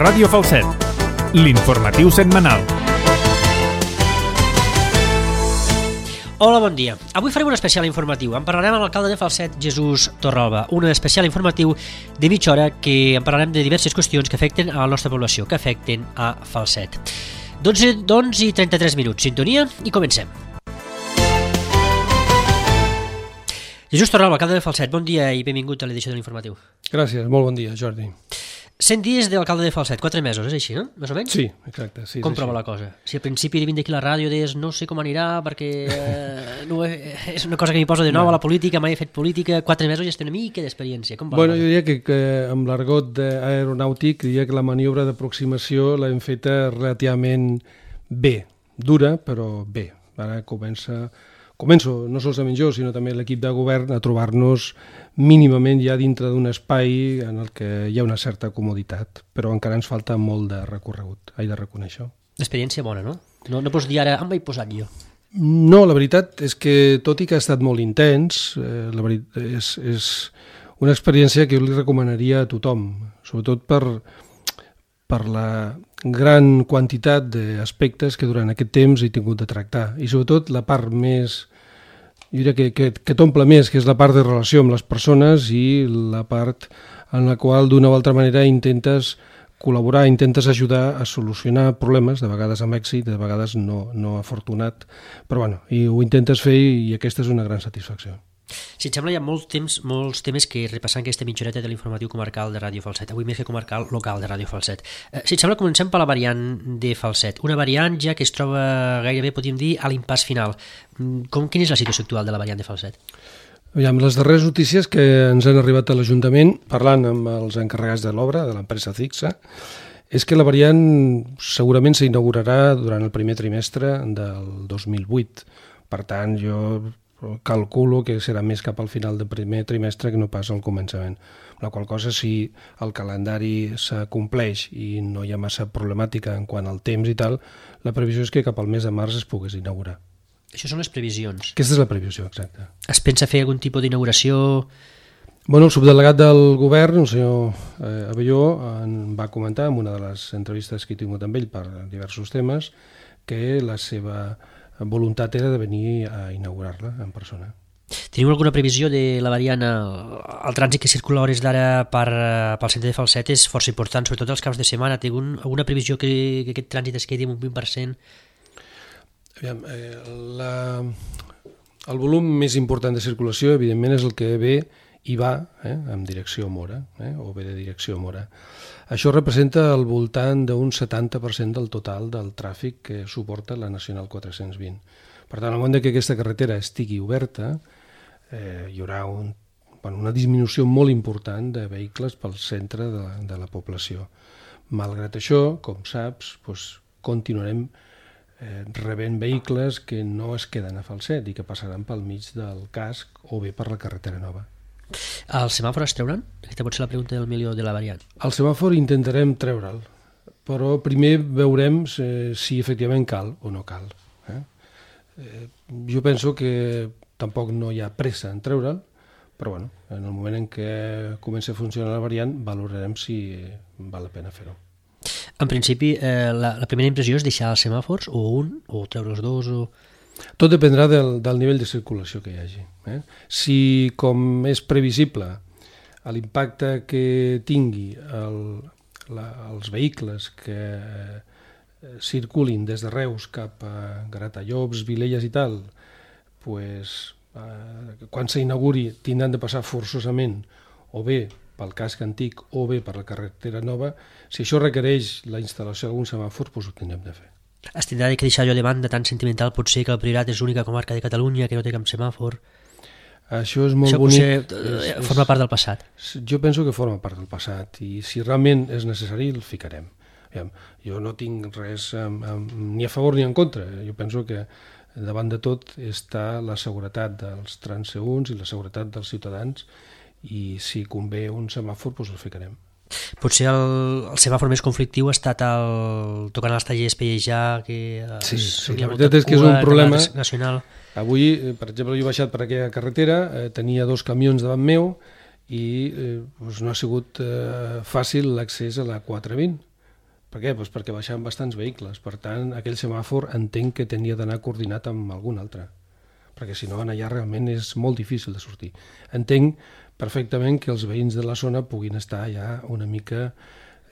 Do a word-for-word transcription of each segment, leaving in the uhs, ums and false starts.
Ràdio Falset, l'informatiu setmanal. Hola, bon dia. Avui farem un especial informatiu. En parlarem amb l'alcalde de Falset, Jesús Torralba. Un especial informatiu de mitja hora que en parlarem de diverses qüestions que afecten a la nostra població, que afecten a Falset. dotze i trenta-tres minuts. Sintonia i comencem. Jesús Torralba, alcalde de Falset, bon dia i benvingut a l'edició de l'informatiu. Gràcies, molt bon dia, Jordi. cent dies d'alcalde de Falset, quatre mesos, és així, no? Més o menys? Sí, exacte. Sí, com prova la cosa? Si al principi de vindre aquí a la ràdio deies no sé com anirà perquè eh, no, és una cosa que m'hi poso de nou a la política, mai he fet política, quatre mesos ja estem una mica d'experiència. Com va? Bueno, jo diria que, que amb l'argot aeronàutic diria que la maniobra d'aproximació l'hem feta relativament bé, dura, però bé. Ara comença... Començo, no solament jo, sinó també l'equip de govern, a trobar-nos mínimament ja dintre d'un espai en el que hi ha una certa comoditat, però encara ens falta molt de recorregut, he de reconèixer. L'experiència bona, no? No, no pots dir ara, em vaig posat jo. No, la veritat és que, tot i que ha estat molt intens, eh, la veritat és, és una experiència que jo li recomanaria a tothom, sobretot per, per la gran quantitat d'aspectes que durant aquest temps he tingut de tractar, i sobretot la part més, jo diria que, que, que t'omple més, que és la part de relació amb les persones i la part en la qual d'una o altra manera intentes col·laborar, intentes ajudar a solucionar problemes, de vegades amb èxit, de vegades no, no afortunat, però bueno, i ho intentes fer i aquesta és una gran satisfacció. Si et sembla, hi ha molts temps, molts temes que repassant aquesta mitjoreta de l'informatiu comarcal de Ràdio Falset, avui més que comarcal, local de Ràdio Falset. Eh, si et sembla, comencem per la variant de Falset, una variant ja que es troba gairebé, podríem dir, a l'impàs final. Com, quina és la situació actual de la variant de Falset? Aviam, les darreres notícies que ens han arribat a l'Ajuntament, parlant amb els encarregats de l'obra, de l'empresa Cixa, és que la variant segurament s'inaugurarà durant el primer trimestre del dos mil vuit. Per tant, jo calculo que serà més cap al final del primer trimestre que no pas al començament. La qual cosa, si el calendari s'acompleix i no hi ha massa problemàtica en quant al temps i tal, la previsió és que cap al mes de març es pogués inaugurar. Això són les previsions. Aquesta és la previsió, exacte. Es pensa fer algun tipus d'inauguració? Bueno, el subdelegat del govern, el senyor eh, Abelló, en va comentar en una de les entrevistes que he tingut amb ell per diversos temes que la seva voluntat era de venir a inaugurar-la en persona. Teniu alguna previsió de la variant? El, el trànsit que circula a hores d'ara per, pel centre de Falset és força important, sobretot els caps de setmana. Té algun, alguna previsió que, que aquest trànsit es quedi en un vint per cent? Aviam, eh, la, el volum més important de circulació, evidentment, és el que ve i va eh, en direcció Mora, eh, o ve de direcció Mora. Això representa al voltant d'un setanta per cent del total del tràfic que suporta la Nacional quatre-cents vint. Per tant, al moment que aquesta carretera estigui oberta, eh, hi haurà un, bueno, una disminució molt important de vehicles pel centre de, de la població. Malgrat això, com saps, doncs, continuarem eh, rebent vehicles que no es queden a Falset i que passaran pel mig del casc o bé per la carretera nova. El semàfor es treuran? Aquesta pot ser la pregunta del milió de la variant. El semàfor intentarem treure'l, però primer veurem si, si efectivament cal o no cal. Eh? Eh, jo penso que tampoc no hi ha pressa en treure'l, però bueno, en el moment en què comenci a funcionar la variant valorarem si val la pena fer-ho. En principi, eh, la, la primera impressió és deixar els semàfors, o un, o treure els dos, o... Tot dependrà del, del nivell de circulació que hi hagi. Eh? Si, com és previsible, l'impacte que tingui el, la, els vehicles que eh, circulin des de Reus cap a Gratallops, Vilelles i tal, pues, eh, quan s'inauguri tindran de passar forçosament o bé pel casc antic o bé per la carretera nova. Si això requereix la instal·lació d'algun semàfor, pues ho tindrem de fer. Es tindrà que deixar allò de banda tan sentimental, potser que el Priorat és l'única comarca de Catalunya que no té cap semàfor. Això és molt Això bonic. Potser és, forma part del passat. Jo penso que forma part del passat i si realment és necessari el ficarem. Jo no tinc res amb, amb, ni a favor ni en contra. Jo penso que davant de tot està la seguretat dels transeünts i la seguretat dels ciutadans i si convé un semàfor, doncs el ficarem. Potser el, el semàfor més conflictiu ha estat el tocant als tallers Pellejà, que sí, sí, la veritat és que és un problema nacional. Avui, per exemple, jo he baixat per aquella carretera, eh, tenia dos camions davant meu i eh, doncs no ha sigut eh, fàcil l'accés a la quatre vint. Per què? Pues perquè baixaven bastants vehicles, per tant aquell semàfor entenc que tenia d'anar coordinat amb algun altre, perquè si no allà realment és molt difícil de sortir. Entenc perfectament que els veïns de la zona puguin estar ja una mica,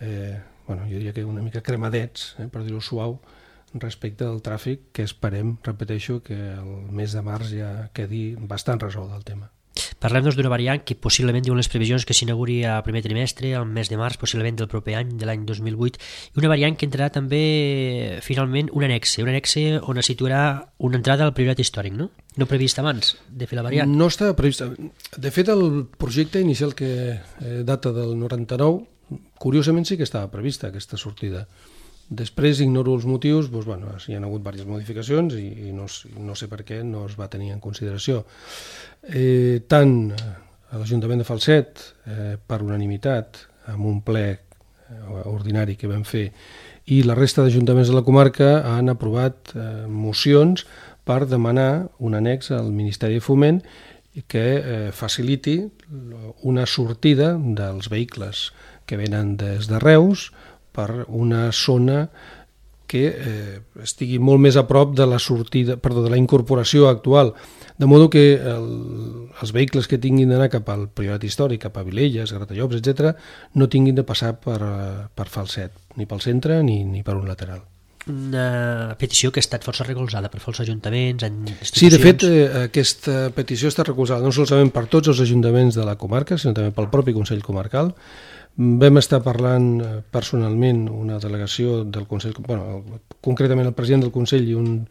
eh, bueno, jo diria que una mica cremadets, eh, per dir-ho suau, respecte al tràfic, que esperem, repeteixo, que el mes de març ja quedi bastant resolt el tema. Parlem doncs d'una variant que possiblement diuen les previsions que s'inauguri al primer trimestre, al mes de març, possiblement del proper any, de l'any dos mil vuit, i una variant que entrarà també finalment un annexe, un annexe on es situarà una entrada al priorat històric, no? No previst abans de fer la variant? No estava previst. De fet, el projecte inicial que eh, data del noranta-nou, curiosament sí que estava prevista aquesta sortida. Després ignoro els motius, doncs, bueno, hi ha hagut diverses modificacions i, i no, no sé per què no es va tenir en consideració. Eh, tant a l'Ajuntament de Falset, eh, per unanimitat, amb un ple eh, ordinari que vam fer, i la resta d'ajuntaments de la comarca han aprovat eh, mocions per demanar un annex al Ministeri de Foment que eh, faciliti una sortida dels vehicles que venen des de Reus per una zona que eh, estigui molt més a prop de la sortida, perdó, de la incorporació actual, de modo que el, els vehicles que tinguin d'anar cap al Priorat Històric, cap a Vilelles, Gratallops, etcètera, no tinguin de passar per, per Falset, ni pel centre ni, ni per un lateral. Una petició que ha estat força recolzada per molts ajuntaments, institucions... Sí, de fet, eh, aquesta petició està recolzada no solament per tots els ajuntaments de la comarca, sinó també pel propi Consell Comarcal. Vam estar parlant personalment una delegació del Consell, bueno, concretament el president del Consell i un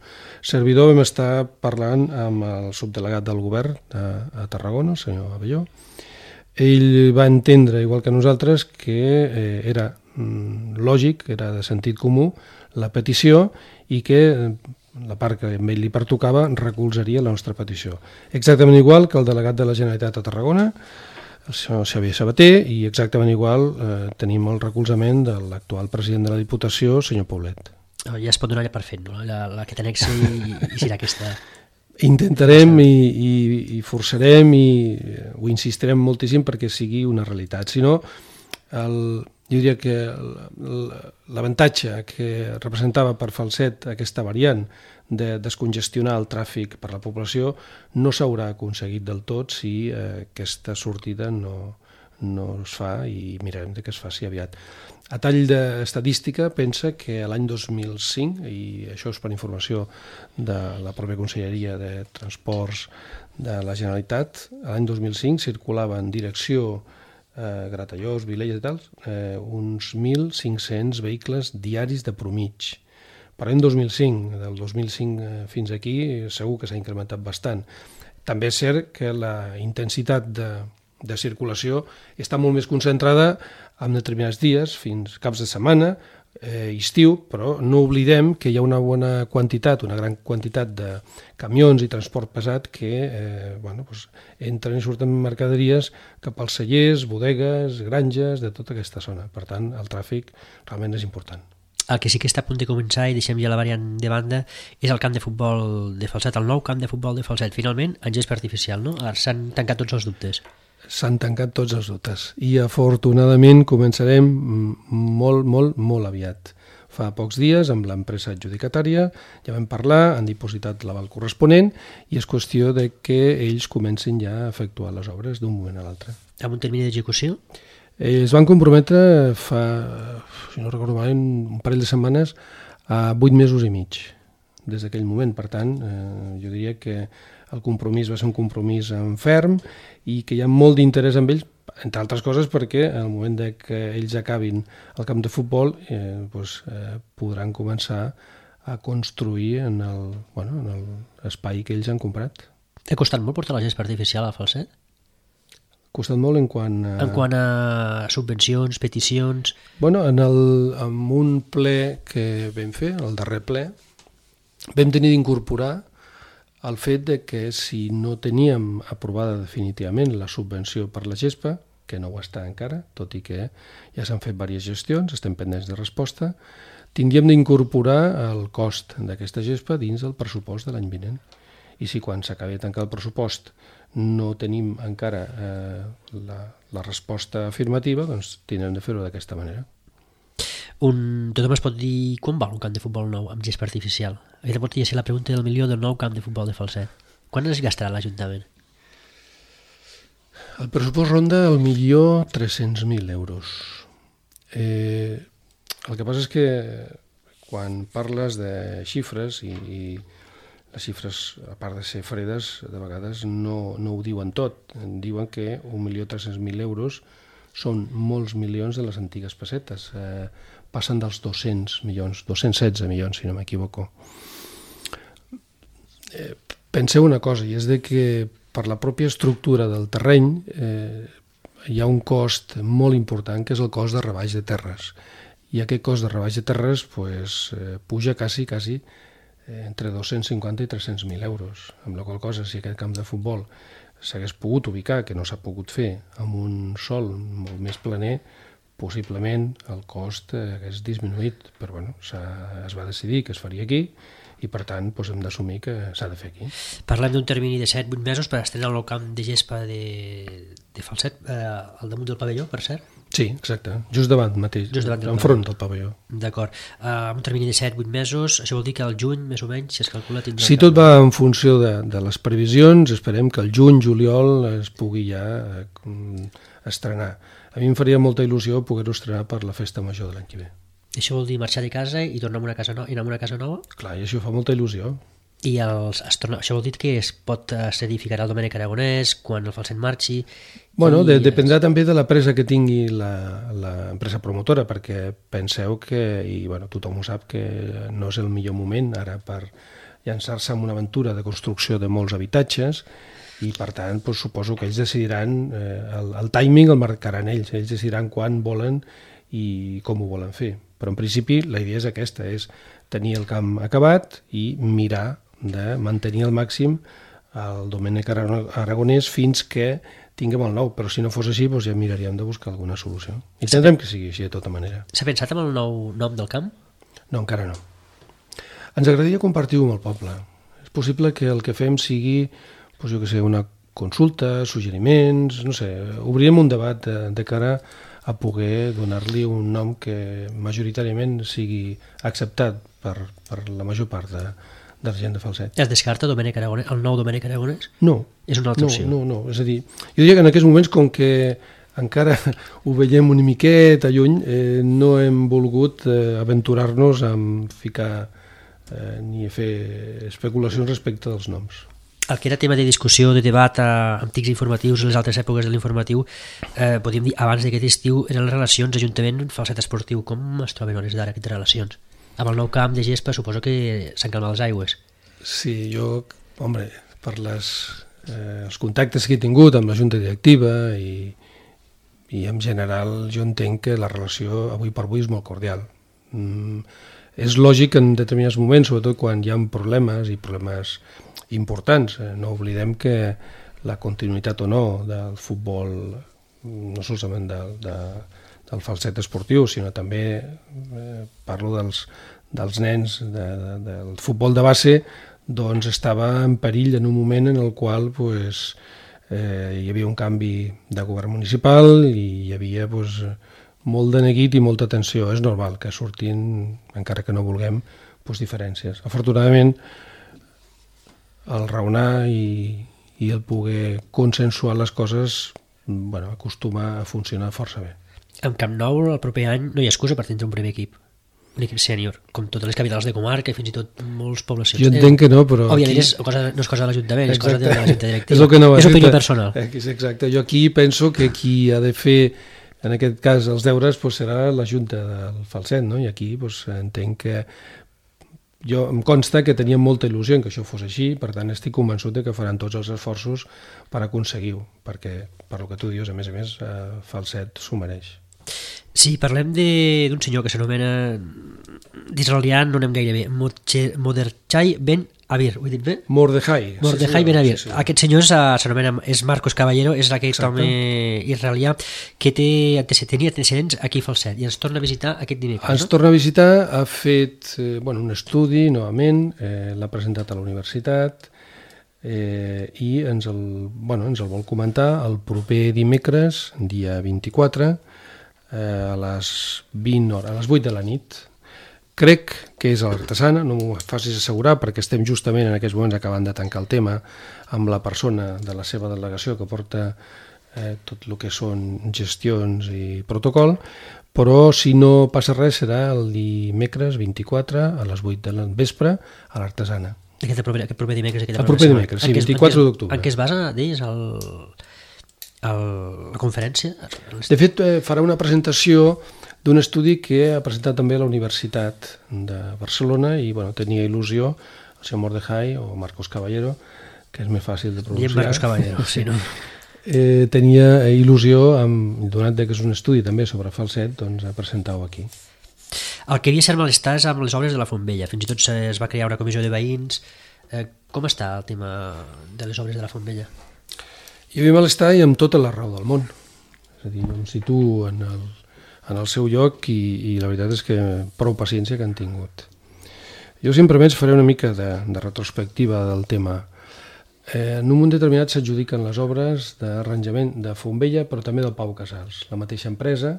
servidor, vam estar parlant amb el subdelegat del govern a, a Tarragona, el senyor Abelló. Ell va entendre, igual que nosaltres, que eh, era mm, lògic, era de sentit comú la petició i que la part que a ell li pertocava recolzaria la nostra petició. Exactament igual que el delegat de la Generalitat a Tarragona, el senyor Xavier Sabater, i exactament igual eh, tenim el recolzament de l'actual president de la Diputació, senyor Paulet. Ja es pot donar per fet, no? La, la que t'annexa i, i serà aquesta... Intentarem i, i, i forçarem i ho insistirem moltíssim perquè sigui una realitat. Si no, el, jo diria que l'avantatge que representava per Falset aquesta variant de descongestionar el tràfic per la població no s'haurà aconseguit del tot si eh, aquesta sortida no, no es fa i mirarem que es faci aviat. A tall d'estadística, pensa que l'any dos mil cinc, i això és per informació de la pròpia Conselleria de Transports de la Generalitat, l'any dos mil cinc circulava en direcció eh, Gratallops, Vilelles i tal, eh, uns mil cinc-cents vehicles diaris de promig. Per l'any dos mil cinc, del dos mil cinc fins aquí, segur que s'ha incrementat bastant. També és cert que la intensitat de, de circulació està molt més concentrada en determinats dies, fins caps de setmana, eh, estiu, però no oblidem que hi ha una bona quantitat, una gran quantitat de camions i transport pesat que eh, bueno, doncs entren i surten mercaderies cap als cellers, bodegues, granges, de tota aquesta zona. Per tant, el tràfic realment és important. El que sí que està a punt de començar, i deixem ja la variant de banda, és el camp de futbol de Falset, el nou camp de futbol de Falset. Finalment, en gest artificial, no? Ara s'han tancat tots els dubtes. S'han tancat tots els dubtes i afortunadament començarem molt, molt, molt aviat. Fa pocs dies, amb l'empresa adjudicatària, ja vam parlar, han dipositat l'aval corresponent i és qüestió de que ells comencin ja a efectuar les obres d'un moment a l'altre. Amb un termini d'execució? Es van comprometre fa, si no recordo mal, un parell de setmanes a vuit mesos i mig des d'aquell moment. Per tant, eh, jo diria que el compromís va ser un compromís en ferm i que hi ha molt d'interès en ells, entre altres coses perquè al moment de que ells acabin el camp de futbol eh, doncs, eh, podran començar a construir en el, bueno, en l'espai que ells han comprat. Ha costat molt portar la gespa artificial a Falset? Ha costat molt en quant a... En quant a subvencions, peticions... Bueno, en, el, en un ple que vam fer, el darrer ple, vam tenir d'incorporar el fet de que si no teníem aprovada definitivament la subvenció per la gespa, que no ho està encara, tot i que ja s'han fet diverses gestions, estem pendents de resposta, tindríem d'incorporar el cost d'aquesta gespa dins del pressupost de l'any vinent. I si quan s'acabi de tancar el pressupost no tenim encara eh, la, la resposta afirmativa, doncs tindrem de fer-ho d'aquesta manera. Un, tothom es pot dir quan val un camp de futbol nou amb gespa artificial? Aquesta podria ser la pregunta del milió del nou camp de futbol de Falset. Quan es gastarà l'Ajuntament? El pressupost ronda el milió tres-cents mil euros. Eh, el que passa és que quan parles de xifres i, i les xifres, a part de ser fredes, de vegades no, no ho diuen tot. Diuen que un milió tres-cents mil euros són molts milions de les antigues pessetes. Eh, passen dels dos-cents milions, dos-cents setze milions, si no m'equivoco. Eh, penseu una cosa, i és de que per la pròpia estructura del terreny eh, hi ha un cost molt important, que és el cost de rebaix de terres. I aquest cost de rebaix de terres pues, eh, puja quasi, quasi eh, entre dos-cents cinquanta i tres-cents mil euros, amb la qual cosa, si aquest camp de futbol s'hagués pogut ubicar, que no s'ha pogut fer, amb un sòl molt més planer, possiblement el cost eh, hagués disminuït, però bueno, es va decidir que es faria aquí, i per tant doncs, hem d'assumir que s'ha de fer aquí. Parlem d'un termini de set vuit mesos per estrenar el nou camp de gespa de, de Falset, eh, al damunt del pavelló, per cert? Sí, exacte, just davant mateix, just davant enfront del pavelló. D'acord. Uh, un termini de set vuit mesos, això vol dir que al juny, més o menys, si es calcula... Si tot va en funció de, de les previsions, esperem que el juny, juliol, es pugui ja eh, estrenar. A mi em faria molta il·lusió poder-ho estrenar per la festa major de l'any que ve. Això vol dir marxar de casa i tornar a una casa nova? I anar a una casa nova? Clar, i això fa molta il·lusió. I els, es torna, això vol dir que es pot s'edificarà el Domènec Aragonès quan el Falset marxi? Bueno, de, es... dependrà també de la presa que tingui l'empresa promotora, perquè penseu que, i bueno, tothom ho sap, que no és el millor moment ara per llançar-se en una aventura de construcció de molts habitatges, i per tant doncs, suposo que ells decidiran, eh, el, el timing el marcaran ells, ells decidiran quan volen i com ho volen fer. Però en principi la idea és aquesta, és tenir el camp acabat i mirar de mantenir al màxim el Domènec Aragonès fins que tinguem el nou, però si no fos així doncs ja miraríem de buscar alguna solució. Intentarem que sigui així de tota manera. S'ha pensat en el nou nom del camp? No, encara no. Ens agradaria compartir-ho amb el poble. És possible que el que fem sigui, doncs jo que sé, una consulta, suggeriments, no sé, obrirem un debat de, de cara a poder donar-li un nom que majoritàriament sigui acceptat per, per la major part de, de la gent de Falset. Es descarta Domènec Aragonès, el nou Domènec Aragonès? No. És una altra no, opció? No, no, és a dir, jo diria que en aquests moments, com que encara ho veiem una miqueta lluny, eh, no hem volgut eh, aventurar-nos a ficar eh, ni a fer especulacions respecte dels noms. El que era tema de discussió, de debat a antics informatius en les altres èpoques de l'informatiu, eh, podríem dir, abans d'aquest estiu, eren les relacions Ajuntament-Falset Esportiu. Com es troben hores d'ara aquestes relacions? Amb el nou camp de gespa suposo que s'han calmat les aigües. Sí, jo, home, per les, eh, els contactes que he tingut amb la Junta Directiva i, i en general jo entenc que la relació avui per avui és molt cordial. Mm, és lògic que en determinats moments, sobretot quan hi ha problemes i problemes importants, eh, no oblidem que la continuïtat o no del futbol, no solament de, de, del Falset esportiu, sinó també eh, parlo dels, dels nens de, de, del futbol de base, doncs estava en perill en un moment en el qual pues, eh, hi havia un canvi de govern municipal i hi havia pues, molt de neguit i molta tensió. És normal que surtin, encara que no vulguem, pues, diferències. Afortunadament, el raonar i, i el poder consensuar les coses bueno, acostuma a funcionar força bé. En Camp Nou el proper any no hi ha excusa per tindre un primer equip, un equip sènior, com totes les capitals de comarca i fins i tot molts poblacions. Jo entenc que no, però... Òbviament aquí... és cosa, no és cosa de l'Ajuntament, és cosa de la Junta Directiva. És, el que no és opinió personal. Exacte, jo aquí penso que qui ha de fer, en aquest cas, els deures pues, serà la Junta del Falset, no? I aquí pues, entenc que jo em consta que tenien molta il·lusió en que això fos així, per tant estic convençut de que faran tots els esforços per aconseguir-ho, perquè per el que tu dius, a més a més, eh, Falset s'ho mereix. Sí, parlem d'un senyor que s'anomena d'israelià, no anem gaire bé, Mordechai Ben Avir, ho he dit bé? Mordechai. Mordechai sí, Ben Avir. Sí, sí. Aquest senyor s'anomena, és Marcos Caballero, és aquest Exacte. home israelià que té, tenia antecedents aquí a Falset i ens torna a visitar aquest dimecres. Ens no? torna a visitar, ha fet eh, bueno, un estudi novament, eh, l'ha presentat a la universitat eh, i ens el, bueno, ens el vol comentar el proper dimecres, dia vint-i-quatre, eh, a les vint hores, a les vuit de la nit. Crec que és a l'Artesana, no m'ho facis assegurar perquè estem justament en aquests moments acabant de tancar el tema amb la persona de la seva delegació que porta eh, tot el que són gestions i protocol, però si no passa res serà el dimecres vint-i-quatre a les vuit de la vespre a l'Artesana. Aquest proper, aquest proper dimecres? El proper dimecres, sí, vint-i-quatre d'octubre. En què es basa, deies, el, el, la conferència? De fet, eh, farà una presentació d'un estudi que ha presentat també la Universitat de Barcelona i bueno, tenia il·lusió el senyor Mordejai o Marcos Caballero, que és més fàcil de pronunciar. Diem Marcos Caballero, sí, no? eh, tenia il·lusió, amb, donat que és un estudi també sobre falset, doncs a presentar-ho aquí. El que havia cert malestar és amb les obres de la Fontvella. Fins i tot es va crear una comissió de veïns. Eh, com està el tema de les obres de la Fontvella? Hi havia malestar i amb tota la raó del món. És a dir, em situo en el, en el seu lloc i, i la veritat és que prou paciència que han tingut. Jo simplement faré una mica de, de retrospectiva del tema. Eh, en un moment determinat s'adjudiquen les obres d'arranjament de Fontvella, però també del Pau Casals. La mateixa empresa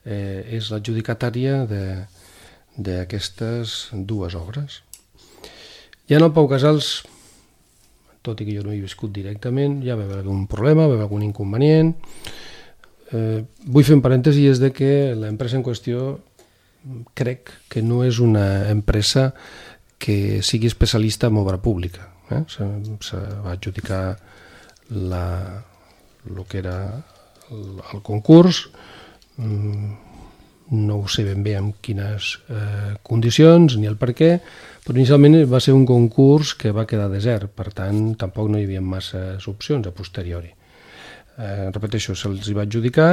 eh, és l'adjudicatària d'aquestes dues obres. Ja en el Pau Casals, tot i que jo no hi he viscut directament, ja va haver algun problema, va haver algun inconvenient. Eh, vull fer un parèntesi, és de que l'empresa en qüestió crec que no és una empresa que sigui especialista en obra pública. Eh? Se, se va adjudicar la, el que era el, el concurs, no ho sé ben bé en quines eh, condicions ni el per què, però inicialment va ser un concurs que va quedar desert, per tant tampoc no hi havia masses opcions a posteriori. Eh, repeteixo, se'ls hi va adjudicar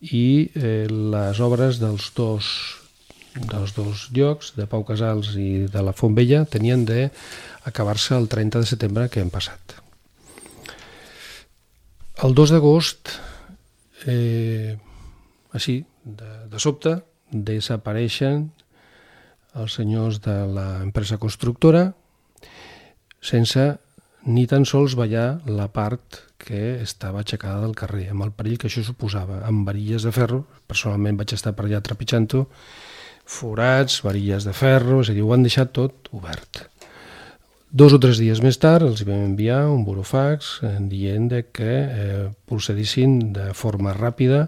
i eh, les obres dels dos, dels dos llocs, de Pau Casals i de la Fontvella, tenien d'acabar-se el trenta de setembre que hem passat. El dos d'agost, eh, així, de, de sobte, desapareixen els senyors de l'empresa constructora sense ni tan sols ballar la part que estava aixecada del carrer, amb el perill que això suposava, amb varilles de ferro. Personalment vaig estar per allà trepitjant-ho, forats, varilles de ferro, és a dir, ho han deixat tot obert. Dos o tres dies més tard els vam enviar un burofax dient que eh, procedissin de forma ràpida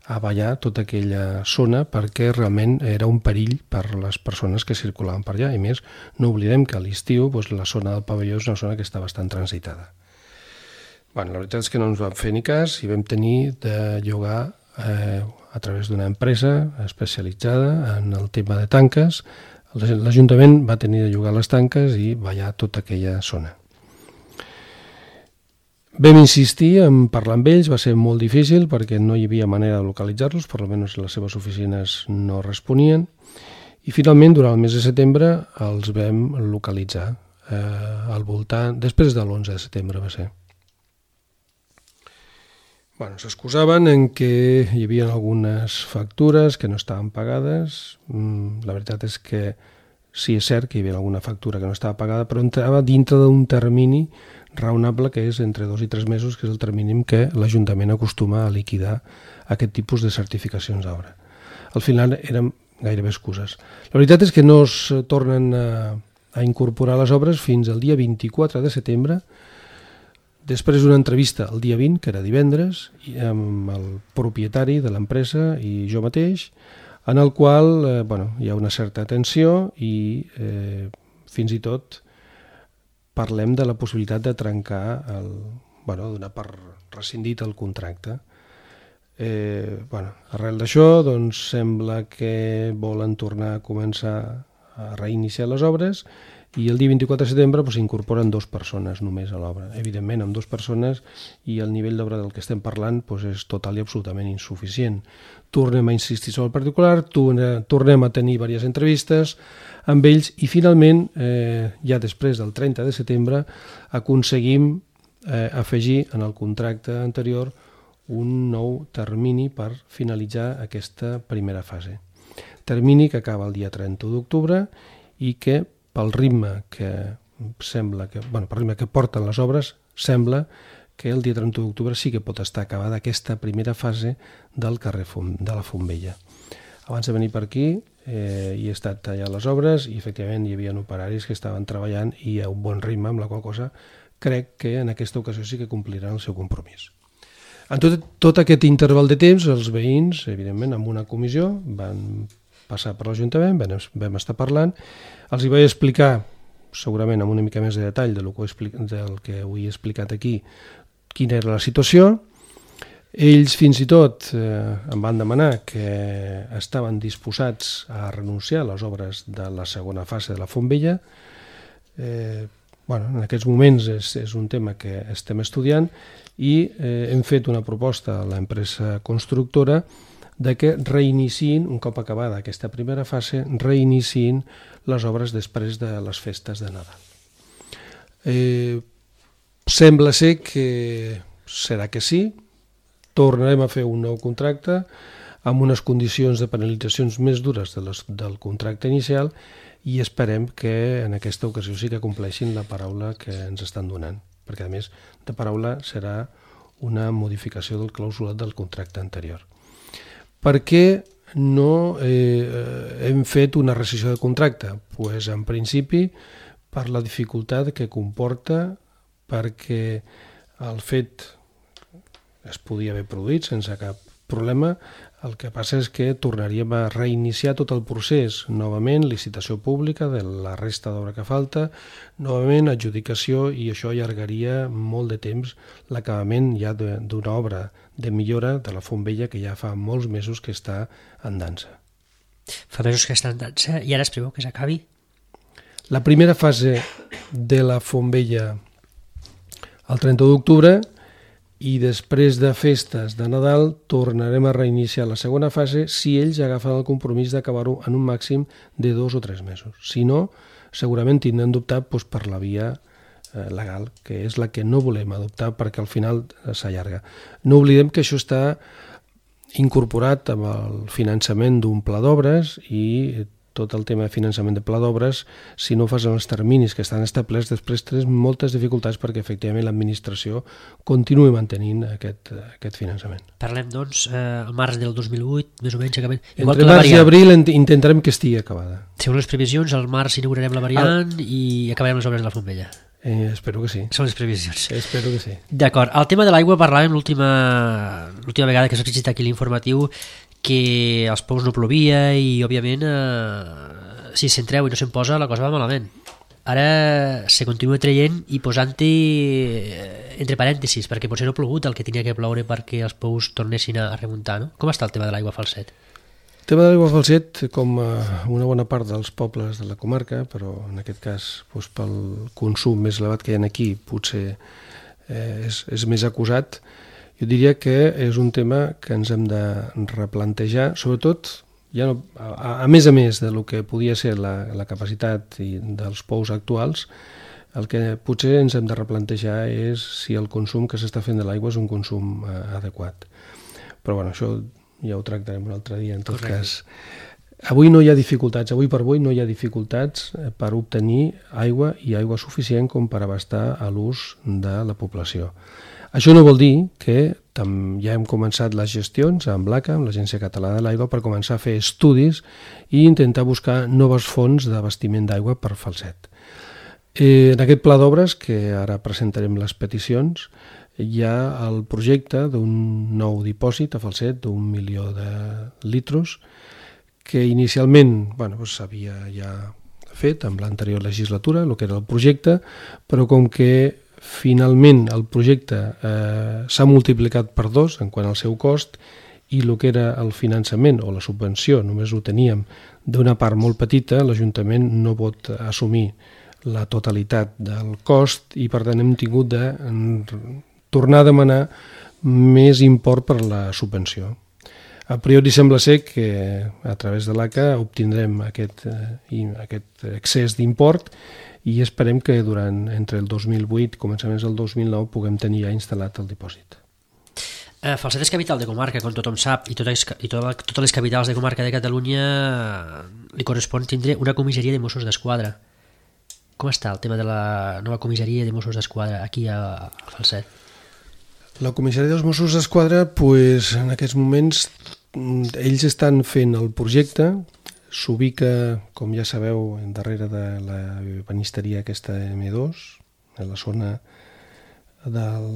a ballar tota aquella zona perquè realment era un perill per les persones que circulaven per allà. I més, no oblidem que a l'estiu doncs, la zona del pavelló és una zona que està bastant transitada. Bueno, la veritat és que no ens vam fer ni cas i vam tenir de llogar eh, a través d'una empresa especialitzada en el tema de tanques. L'Ajuntament va tenir de llogar les tanques i ballar tota aquella zona. Vam insistir en parlar amb ells, va ser molt difícil perquè no hi havia manera de localitzar-los, per almenys les seves oficines no responien, i finalment durant el mes de setembre els vam localitzar eh, al voltant, després de l'onze de setembre va ser. Bueno, s'excusaven en què hi havia algunes factures que no estaven pagades. La veritat és que sí, és cert que hi havia alguna factura que no estava pagada, però entrava dintre d'un termini raonable que és entre dos i tres mesos, que és el termini que l'Ajuntament acostuma a liquidar aquest tipus de certificacions d'obra. Al final eren gairebé excuses. La veritat és que no es tornen a, a incorporar les obres fins al dia vint-i-quatre de setembre, després d'una entrevista el dia vint, que era divendres, amb el propietari de l'empresa i jo mateix, en el qual eh, bueno, hi ha una certa tensió i eh, fins i tot parlem de la possibilitat de trencar, el, bueno, donar per rescindit el contracte. Eh, bueno, arrel d'això, doncs, sembla que volen tornar a començar a reiniciar les obres i el dia vint-i-quatre de setembre s'incorporen dues persones només a l'obra. Evidentment, amb dues persones i el nivell d'obra del que estem parlant doncs, és total i absolutament insuficient. Tornem a insistir sobre el particular, tornem a tenir diverses entrevistes amb ells i finalment, eh, ja després del trenta de setembre, aconseguim eh, afegir en el contracte anterior un nou termini per finalitzar aquesta primera fase. Termini que acaba el dia trenta d'octubre i que pel ritme que sembla que, bueno, pel ritme que porten les obres, sembla que el dia trenta d'octubre sí que pot estar acabada aquesta primera fase del carrer Fum, de la Fontbella. Abans de venir per aquí eh, hi he estat allà a les obres i efectivament hi havia operaris que estaven treballant i a un bon ritme, amb la qual cosa crec que en aquesta ocasió sí que compliran el seu compromís. En tot, tot aquest interval de temps, els veïns, evidentment, amb una comissió, van passar per l'Ajuntament, vam, vam estar parlant, els hi vaig explicar, segurament amb una mica més de detall del que, explic, del que ho he explicat aquí, quina era la situació. Ells fins i tot eh, em van demanar que estaven disposats a renunciar a les obres de la segona fase de la Fontbella. Eh, bueno, en aquests moments és, és un tema que estem estudiant i eh, hem fet una proposta a l'empresa constructora de que reiniciïn, un cop acabada aquesta primera fase, reiniciïn les obres després de les festes de Nadal. Eh, sembla ser que serà que sí, tornarem a fer un nou contracte amb unes condicions de penalitzacions més dures de les, del contracte inicial i esperem que en aquesta ocasió sí que compleixin la paraula que ens estan donant, perquè a més de paraula serà una modificació del clàusulat del contracte anterior. Per què no eh, hem fet una rescissió de contracte? Pues, en principi, per la dificultat que comporta, perquè el fet es podia haver produït sense cap problema, el que passa és que tornaríem a reiniciar tot el procés, novament licitació pública de la resta d'obra que falta, novament adjudicació, i això allargaria molt de temps l'acabament ja d'una obra de millora de la Fontbella que ja fa molts mesos que està en dansa. Fa mesos que està en dansa i ara es preveu que s'acabi? La primera fase de la Fontbella el trenta d'octubre i després de festes de Nadal tornarem a reiniciar la segona fase si ells agafen el compromís d'acabar-ho en un màxim de dos o tres mesos. Si no, segurament tindrem d'optar doncs, per la via eh, legal, que és la que no volem adoptar perquè al final s'allarga. No oblidem que això està incorporat amb el finançament d'un pla d'obres i tot el tema de finançament de pla d'obres, si no fas en els terminis que estan establerts, després tens moltes dificultats perquè efectivament l'administració continuï mantenint aquest, aquest finançament. Parlem, doncs, eh, al març del dos mil vuit, més o menys, acabem. Entre març i abril intentarem que estigui acabada. Segons les previsions, al març inaugurarem la variant ah. i acabarem les obres de la Fontbella. Eh, espero que sí. Són les previsions. Espero que sí. D'acord. El tema de l'aigua parlàvem l'última l'última vegada que s'ha explicat aquí l'informatiu, que als Pous no plovia i, òbviament, eh, si s'entreu i no se'n posa, la cosa va malament. Ara se continua traient i posant-hi eh, entre parèntesis, perquè potser no ha plogut el que tenia que ploure perquè els Pous tornessin a remuntar, no? Com està el tema de l'aigua a Falset? El tema de l'aigua a Falset, com a una bona part dels pobles de la comarca, però en aquest cas doncs, pel consum més elevat que hi ha aquí, potser eh, és, és més acusat. Jo diria que és un tema que ens hem de replantejar, sobretot, ja no, a, a més a més de lo que podia ser la, la capacitat i dels pous actuals, el que potser ens hem de replantejar és si el consum que s'està fent de l'aigua és un consum eh, adequat. Però bueno, això ja ho tractarem un altre dia, en tot Correcte. Cas. Avui no hi ha dificultats, avui per avui no hi ha dificultats per obtenir aigua i aigua suficient com per abastar a l'ús de la població. Això no vol dir que ja hem començat les gestions amb l'A C A, amb l'Agència Catalana de l'Aigua, per començar a fer estudis i intentar buscar noves fonts d'abastiment d'aigua per Falset. Eh, en aquest pla d'obres, que ara presentarem les peticions, hi ha el projecte d'un nou dipòsit a Falset d'un milió de litros que inicialment bueno, s'havia ja fet amb l'anterior legislatura, el que era el projecte, però com que finalment el projecte eh, s'ha multiplicat per dos en quant al seu cost i el que era el finançament o la subvenció només ho teníem d'una part molt petita, l'Ajuntament no pot assumir la totalitat del cost i per tant hem tingut de tornar a demanar més import per la subvenció. A priori sembla ser que a través de l'A C A obtindrem aquest, eh, aquest excés d'import i esperem que durant entre el dos mil vuit i començaments del dos mil nou puguem tenir ja instal·lat el dipòsit. Eh, Falset és capital de comarca, com tothom sap, i totes, i totes, totes les capitals de comarca de Catalunya li correspon tindre una comissaria de Mossos d'Esquadra. Com està el tema de la nova comissaria de Mossos d'Esquadra aquí a, a Falset? La comissaria dels Mossos d'Esquadra, pues, en aquests moments, ells estan fent el projecte, s'ubica, com ja sabeu, darrere de la banisteria aquesta eme dos, a la zona del...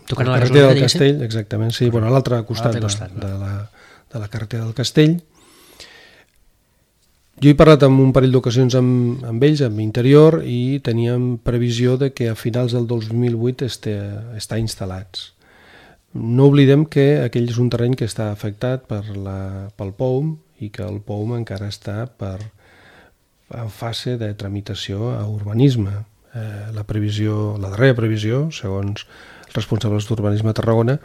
Tocant a la carretera gasolinera, del Castell, exactament, sí, bueno, a l'altre costat, costat de, de, la, de la carretera del Castell. Jo he parlat en un parell d'ocasions amb, amb ells, amb Interior, i teníem previsió de que a finals del dos mil vuit este, està instal·lats. No oblidem que aquell és un terreny que està afectat per la, pel P O U M i que el P O U M encara està per, en fase de tramitació a urbanisme. Eh, la previsió, la darrera previsió, segons els responsables d'urbanisme a Tarragona,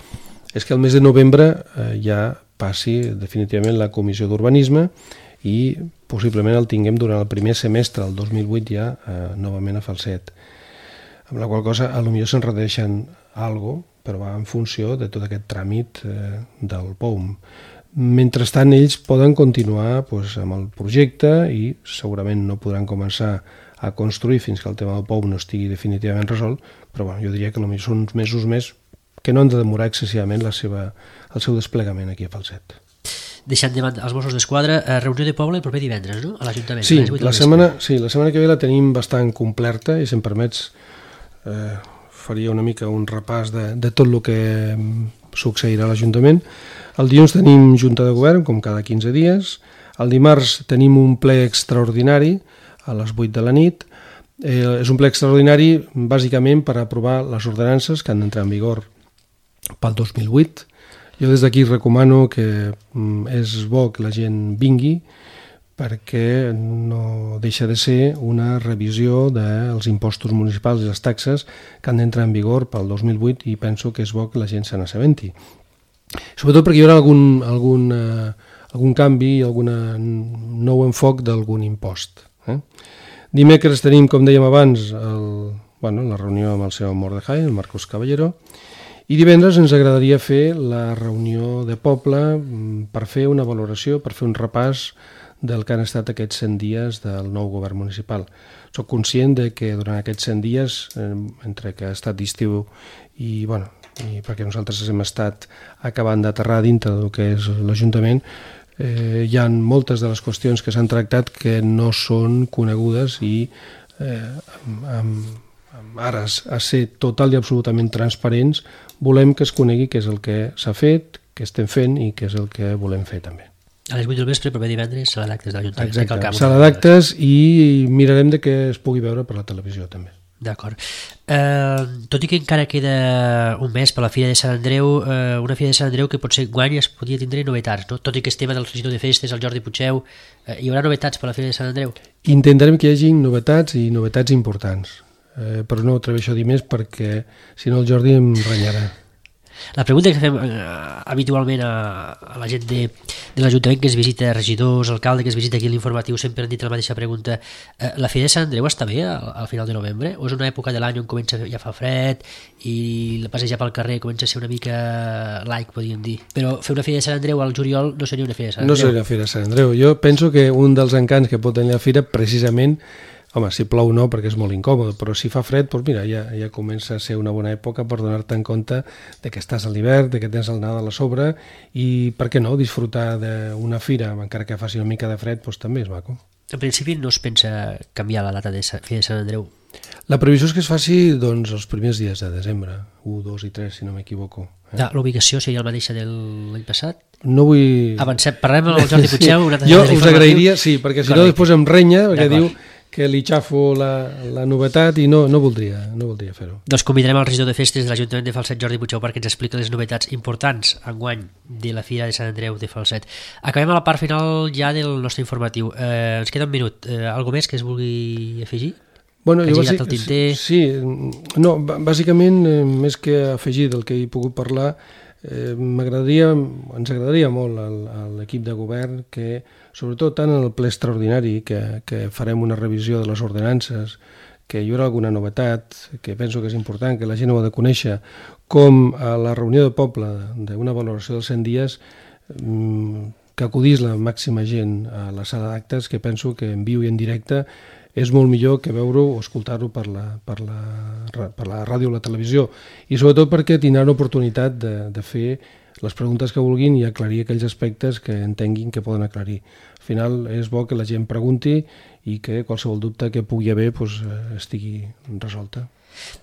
és que el mes de novembre eh, ja passi definitivament la comissió d'urbanisme i possiblement el tinguem durant el primer semestre del dos mil vuit ja eh, novament a Falset. Amb la qual cosa, potser se'n redueixen algo, però va en funció de tot aquest tràmit eh, del P O U M. Mentrestant, ells poden continuar pues, amb el projecte i segurament no podran començar a construir fins que el tema del P O U M no estigui definitivament resolt, però bueno, jo diria que potser són uns mesos més que no han de demorar excessivament la seva, el seu desplegament aquí a Falset. Deixant de banda els Mossos d'Esquadra, eh, reunió de poble el proper divendres, no? A l'Ajuntament. Sí, la setmana, sí, la setmana que ve la tenim bastant completa i si em permets eh, faria una mica un repàs de, de tot el que succeirà a l'Ajuntament. El dilluns tenim Junta de Govern, com cada quinze dies. El dimarts tenim un ple extraordinari a les vuit de la nit. Eh, és un ple extraordinari bàsicament per aprovar les ordenances que han d'entrar en vigor pel dos mil vuit. Jo des d'aquí recomano que és bo que la gent vingui perquè no deixa de ser una revisió dels impostos municipals i les taxes que han d'entrar en vigor pel dos mil vuit i penso que és bo que la gent se n'assabenti. Sobretot perquè hi haurà algun, algun, eh, algun canvi, algun nou enfoc d'algun impost. Eh? Dimecres tenim, com dèiem abans, el, bueno, la reunió amb el senyor Mordejai, el Marcos Caballero, i divendres ens agradaria fer la reunió de poble per fer una valoració, per fer un repàs del que han estat aquests cent dies del nou govern municipal. Soc conscient de que durant aquests cent dies, entre que ha estat d'estiu i, bueno, i perquè nosaltres hem estat acabant d'aterrar dintre del que és l'Ajuntament, eh, hi ha moltes de les qüestions que s'han tractat que no són conegudes i eh, amb, amb ara a ser total i absolutament transparents, volem que es conegui què és el que s'ha fet, què estem fent i què és el que volem fer també. A les vuit del vespre, proper divendres, sala d'actes de l'Ajuntament. Exacte, sala d'actes i mirarem de que es pugui veure per la televisió també. D'acord. Eh, tot i que encara queda un mes per la Fira de Sant Andreu, eh, una Fira de Sant Andreu que potser guany es podria tindre novetats, no? Tot i que es tema del regidor de festes, el Jordi Puigdeu, eh, hi haurà novetats per la Fira de Sant Andreu? Intentarem que hi hagi novetats i novetats importants. Eh, però no atreveixo a dir més perquè si no el Jordi em renyarà. La pregunta que fem eh, habitualment a, a la gent de, de l'Ajuntament que es visita, regidors, alcalde, que es visita aquí a l'informatiu, sempre han dit la mateixa pregunta. Eh, la Fira de Sant Andreu està bé al, al final de novembre? O és una època de l'any on comença ja fa fred i la passejar pel carrer comença a ser una mica like, podríem dir? Però fer una Fira de Sant Andreu al juliol no seria una Fira de Sant Andreu? No seria una Fira de Sant Andreu. Jo penso que un dels encants que pot tenir la Fira precisament, home, si plou no, perquè és molt incòmode, però si fa fred, doncs mira, ja, ja comença a ser una bona època per donar-te en compte de que estàs a l'hivern, de que tens el Nadal a sobre i, per què no, disfrutar d'una fira, encara que faci una mica de fred, doncs també és maco. En principi no es pensa canviar la data de Fira de Sant Andreu? La previsió és que es faci doncs, els primers dies de desembre, u, dos i tres, si no m'equivoco. Eh? Ah, l'ubicació seria la mateixa de l'any passat? No vull... Avancem, parlem amb el Jordi Puigdeu. Sí. Jo us agrairia, sí, perquè si no després em renya, perquè diu que li xafo la, la novetat i no, no voldria, no voldria fer-ho. Doncs convidarem el regidor de festes de l'Ajuntament de Falset, Jordi Puigdeu, perquè ens explica les novetats importants enguany de la Fira de Sant Andreu de Falset. Acabem a la part final ja del nostre informatiu. Eh, ens queda un minut. Eh, algo més que es vulgui afegir? Bueno, que jo hagi bàsic, el tinter? Sí, no, bàsicament, eh, més que afegir del que he pogut parlar, eh, m'agradaria, ens agradaria molt a l'equip de govern que, sobretot tant en el ple extraordinari, que, que farem una revisió de les ordenances, que hi haurà alguna novetat, que penso que és important, que la gent ho ha de conèixer, com a la reunió de poble d'una valoració dels cent dies, que acudís la màxima gent a la sala d'actes, que penso que en viu i en directe és molt millor que veure-ho o escoltar-ho per la, per, la, per la ràdio o la televisió, i sobretot perquè tindran oportunitat de, de fer les preguntes que vulguin i aclarir aquells aspectes que entenguin que poden aclarir. Al final és bo que la gent pregunti i que qualsevol dubte que pugui haver doncs, estigui resolta.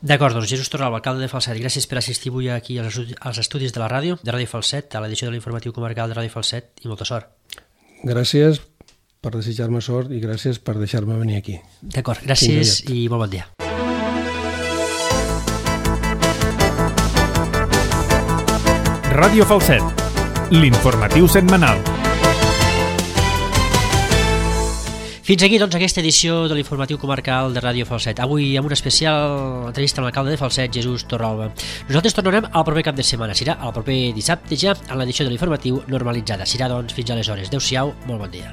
D'acord, doncs Jesús Torralba, alcalde de Falset, gràcies per assistir avui aquí als estudis de la ràdio, de Ràdio Falset, a l'edició de l'informatiu comarcal de Ràdio Falset, i molta sort. Gràcies per desitjar-me sort i gràcies per deixar-me venir aquí. D'acord, gràcies i molt bon dia. Ràdio Falset, l'informatiu setmanal. Fins aquí, doncs, aquesta edició de l'informatiu comarcal de Ràdio Falset. Avui amb una especial entrevista amb l'alcalde de Falset, Jesús Torralba. Nosaltres tornarem al proper cap de setmana. Serà el proper dissabte ja, en l'edició de l'informatiu normalitzada. Serà, doncs, fins aleshores. Adéu-siau, molt bon dia.